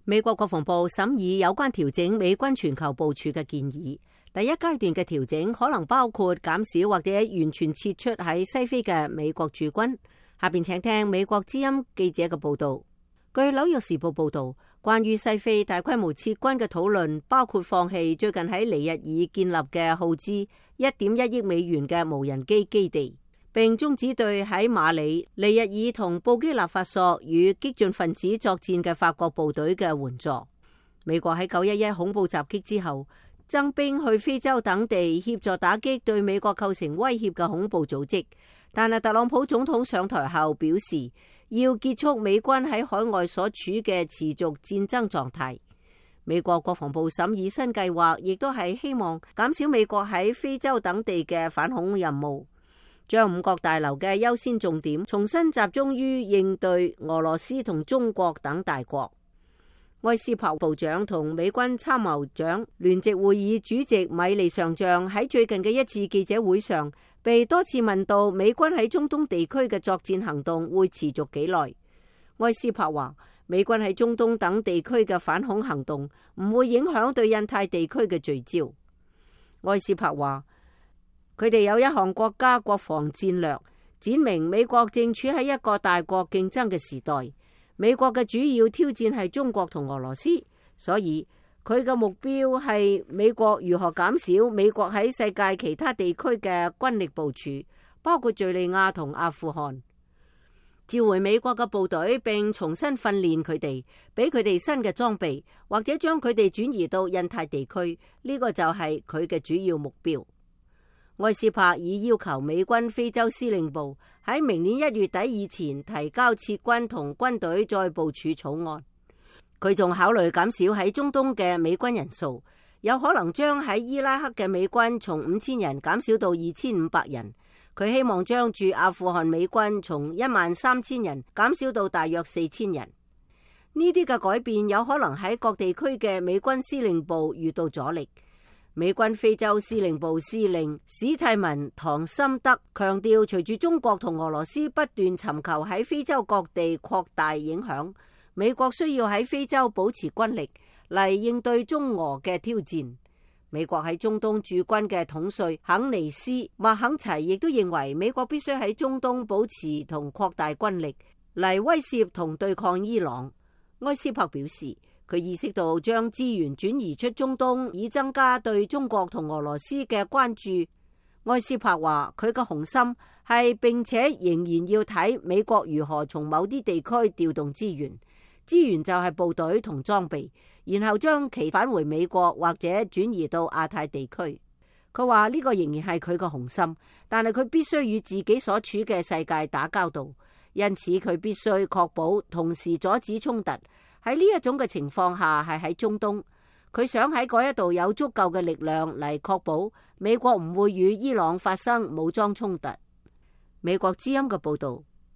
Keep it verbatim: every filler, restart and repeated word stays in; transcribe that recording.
美國國防部審議有關調整美軍全球部署嘅建議。第一階段嘅調整可能包括減少或者完全撤出喺西非嘅美國駐軍。下邊請聽美國之音記者嘅報道。據紐約時報報道，關於西非大規模撤軍嘅討論包括放棄最近喺尼日爾建立嘅耗資一點一億美元嘅無人機基地，並終止對喺馬里、尼日爾同布基納法索與激進分子作戰嘅法國部隊嘅援助。美國喺九一一恐怖襲擊之後，增兵去非洲等地協助打擊對美國構成威脅嘅恐怖組織。但係特朗普總統上台後表示，要結束美軍喺海外所處嘅持續戰爭狀態。美國國防部審議新計劃，亦都係希望減少美國喺非洲等地嘅反恐任務，將五角大樓嘅優先重點重新集中於應對俄羅斯同中國等大國。埃斯珀部長同美軍參謀長聯席會議主席米利上將喺最近嘅一次記者會上，被多次問到美軍喺中東地區嘅作戰行動會持續幾耐。埃斯珀話，美軍喺中東等地區嘅反恐行動唔會影響對印太地區嘅聚焦。埃斯珀話，佢哋有一項國家國防戰略，展明美國正處喺一個大國競爭嘅時代。美國嘅主要挑戰係中國同俄羅斯，所以佢嘅目標係美國如何減少美國喺世界其他地區嘅軍力部署，包括敘利亞同阿富汗，召回美國嘅部隊並重新訓練佢哋，俾佢哋新嘅裝備，或者將佢哋轉移到印太地區，呢個就係佢嘅主要目標。埃斯珀已要求美軍非洲司令部喺明年一月底以前提交撤軍同軍隊再部署草案。佢仲考慮減少喺中東嘅美軍人數，有可能將喺伊拉克嘅美軍從五千人減少到二千五百人。佢希望將駐阿富汗美軍從一萬三千人減少到大約四千人。呢啲嘅改變有可能喺各地區嘅美軍司令部遇到阻力。美軍非洲司令部司令史蒂文·唐森德強調，隨住中國同俄羅斯不斷尋求喺非洲各地擴大影響，美國需要喺非洲保持軍力嚟應對中俄嘅挑戰。美國喺中東駐軍嘅統帥肯尼斯·麥肯齊亦都認為，美國必須喺中東保持同擴大軍力嚟威懾同對抗伊朗。埃斯珀表示，佢意識到將資源轉移出中東，以增加對中國同俄羅斯嘅關注。埃斯珀話，佢嘅雄心係並且仍然要睇美國如何從某啲地區調動資源，資源就係部隊同裝備，然後將其返回美國或者轉移到亞太地區。佢話呢個仍然係佢嘅雄心，但係佢必須與自己所處嘅世界打交道，因此佢必須確保同時阻止衝突。喺呢一種嘅情況下，係喺中東，佢想喺嗰一度有足夠嘅力量嚟確保美國唔會與伊朗發生武裝衝突。美國之音嘅報道。